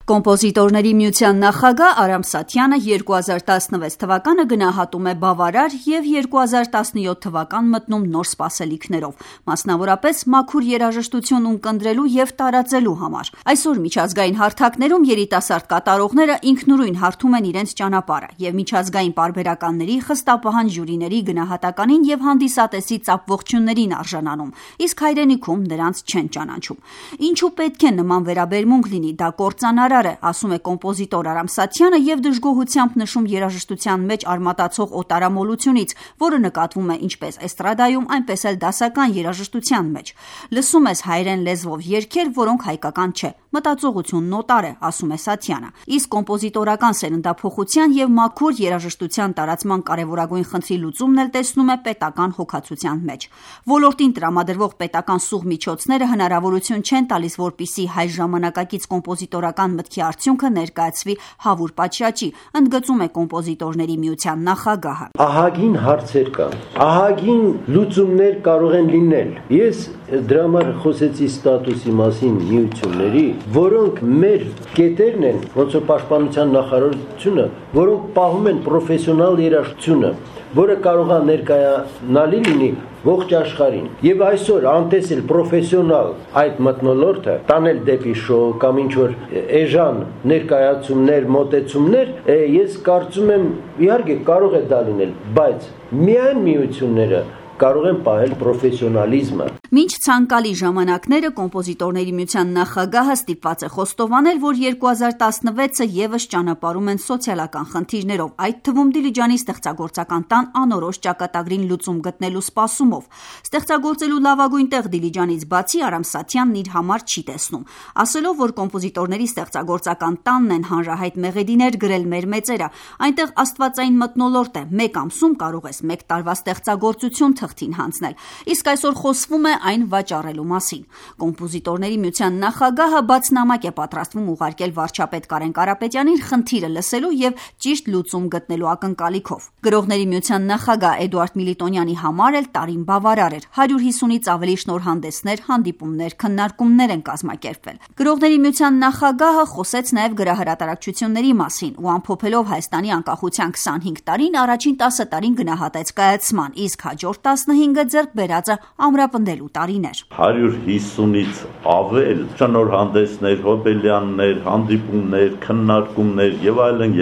Կոմպոզիտորների միության նախագահ Արամ Սաթյանը 2016 թվականը գնահատում է բավարար և 2017 թվական մտնում նոր սպասելիքներով, մասնավորապես մաքուր երաժշտություն ունկնդրելու և տարածելու համար։ Այսօր միջազգային հարթակներում երիտասարդ կատարողները ինքնուրույն հարթում են իրենց ճանապարհը և միջազգային պարբերականների, խստապահան ժյուրիների գնահատականին և հանդիսատեսի ծափողջույններին արժանանում, իսկ հայրենիքում նրանց չեն ճանաչում։ Ինչու պետք է նման վերաբերմունք լինի, դա կործանարար է, ասում է կոմպոզիտոր Արամ Սաթյանը և դժգոհությամբ նշում երաժշտության մեջ արմատացող օտարամոլությունից, որը նկատվում է ինչպես էստրադայում, այնպես էլ դասական երաժշտության մեջ։ Լսում ես հայերեն լեզվով երգեր, որոնք հայկական չէ, մտածողությունն օտար է, ասում է Սաթյանը։ Իսկ կոմպոզիտորական սերնդափոխության և մաքուր երաժշտության տարածման կարևորագույն խնդրի լուծումն էլ տեսնում է պետական հոգացության մեջ։ Ոլորտին տրամադրվող պետական սուղ միջոցները հնարավորություն չեն տալիս, որպեսզի հայ ժամանակակից կոմպոզիտորական մտքի արդյունքը ներկայացվի հավուր պատշաճի, ընդգծում է կոմպոզիտորների միության նախագահը։ Ահագին հարցեր կան, ահագին լուծումներ կարող են լինել։ Ես դրա համար խոսեցի ստատուսի մասին միությունների, որոնք մեր կետերն են, ոնց որ պաշտպանության նախարարությունը, որոնք պահում են պրոֆեսիոնալ երաժշտությունը, որը կարող է ներկայանալի լինի ողջ աշխարհին։ Եվ այսօր անտեսել պրոֆեսիոնալ այդ մթնոլորտը տանել դեպի շոու կամ ինչ-որ էժան ներկայացումներ, մոտեցումներ, ես կարծում եմ, իհարկե կարող է դա լինել, բայց միայն միությունները կարող են պահել պրոֆեսիոնալիզմը։ Մինչ ցանկալի ժամանակները կոմպոզիտորների միության նախագահը ստիպված է խոստովանել, որ 2016-ը ևս ճանապարհում են սոցիալական խնդիրներով, այդ թվում Դիլիջանի ստեղծագործական տան անորոշ ճակատագրին լուծում գտնելու սպասումով։ Ստեղծագործելու լավագույն տեղ Դիլիջանից բացի Արամ Սաթյանն իր համար չի տեսնում, ասելով, որ կոմպոզիտորների ստեղծագործական տանն են հանրահայտ մեղեդիներ գրել մեր մեծերը, այնտեղ աստվածային մթնոլորտ է, մեկ ամսում կարող ես մեկ տարվա ստեղծագործություն թղթին հանձնել, իսկ այսօր խոսվում է այն վաճառելու մասին։ Կոմպոզիտորների միության նախագահը բացնամակ է պատրաստվում ուղարկել վարչապետ Կարեն Կարապետյանին խնդիրը լսելու և ճիշտ լուծում գտնելու ակնկալիքով։ Գրողների միության նախագահ Էդուարդ Միլիտոնյանի համար էլ տարին բավարար էր, 150-ից ավելի շնորհանդեսներ, հանդիպումներ, քննարկումներ են կազմակերպվել։ Գրողների միության նախագահը խոսեց նաև գրահրատարակչությունների մասին ու ամփոփելով Հայաստանի անկախության 25 տարին, առաջին 10 տարին գնահատեց կայացման, իսկ հաջորդ 15-ը ձեռք բերածը ամրապնդելու տարիներ։ 150-ից ավել շնորհանդեսներ, հոբելյաններ, հանդիպումներ, քննարկումներ եւ այլն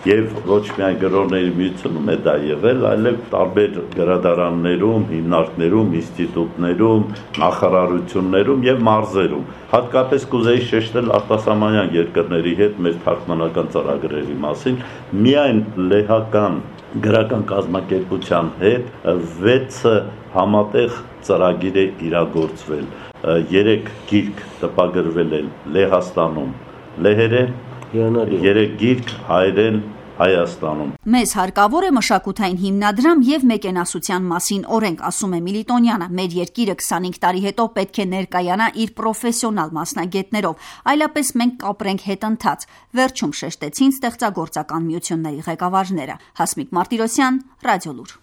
եւ ոչ միայն գրողների միությունում է դա եղել, այլև տարբեր գրադարաններում, հիմնարկներում, ինստիտուտներում, նախարարություններում եւ մարզերում։ Հատկապես կուզեի շեշտել արտասահմանյան երկրների հետ մեր թարգմանական ծրագրերի մասին, միայն լեհական գրական կազմակերպության հետ 6 համատեղ ծրագիր է իրագործվել։ 3 գիրք տպագրվել է Լեհաստանում լեհերեն, 3 գիրք հայերեն Հայաստանում։ Մեզ հարկավոր է մշակութային հիմնադրամ և մեկենասության մասին օրենք, ասում է Միլիտոնյանը։ Մեր երկիրը 25 տարի հետո պետք է ներկայանա իր պրոֆեսիոնալ մասնագետներով, այլապես մենք կապրենք հետընթաց, վերջում շեշտեցին ստեղծագործական միությունների ղեկավարները։ Հասմիկ Մարտիրոսյան, Ռադիոլուր։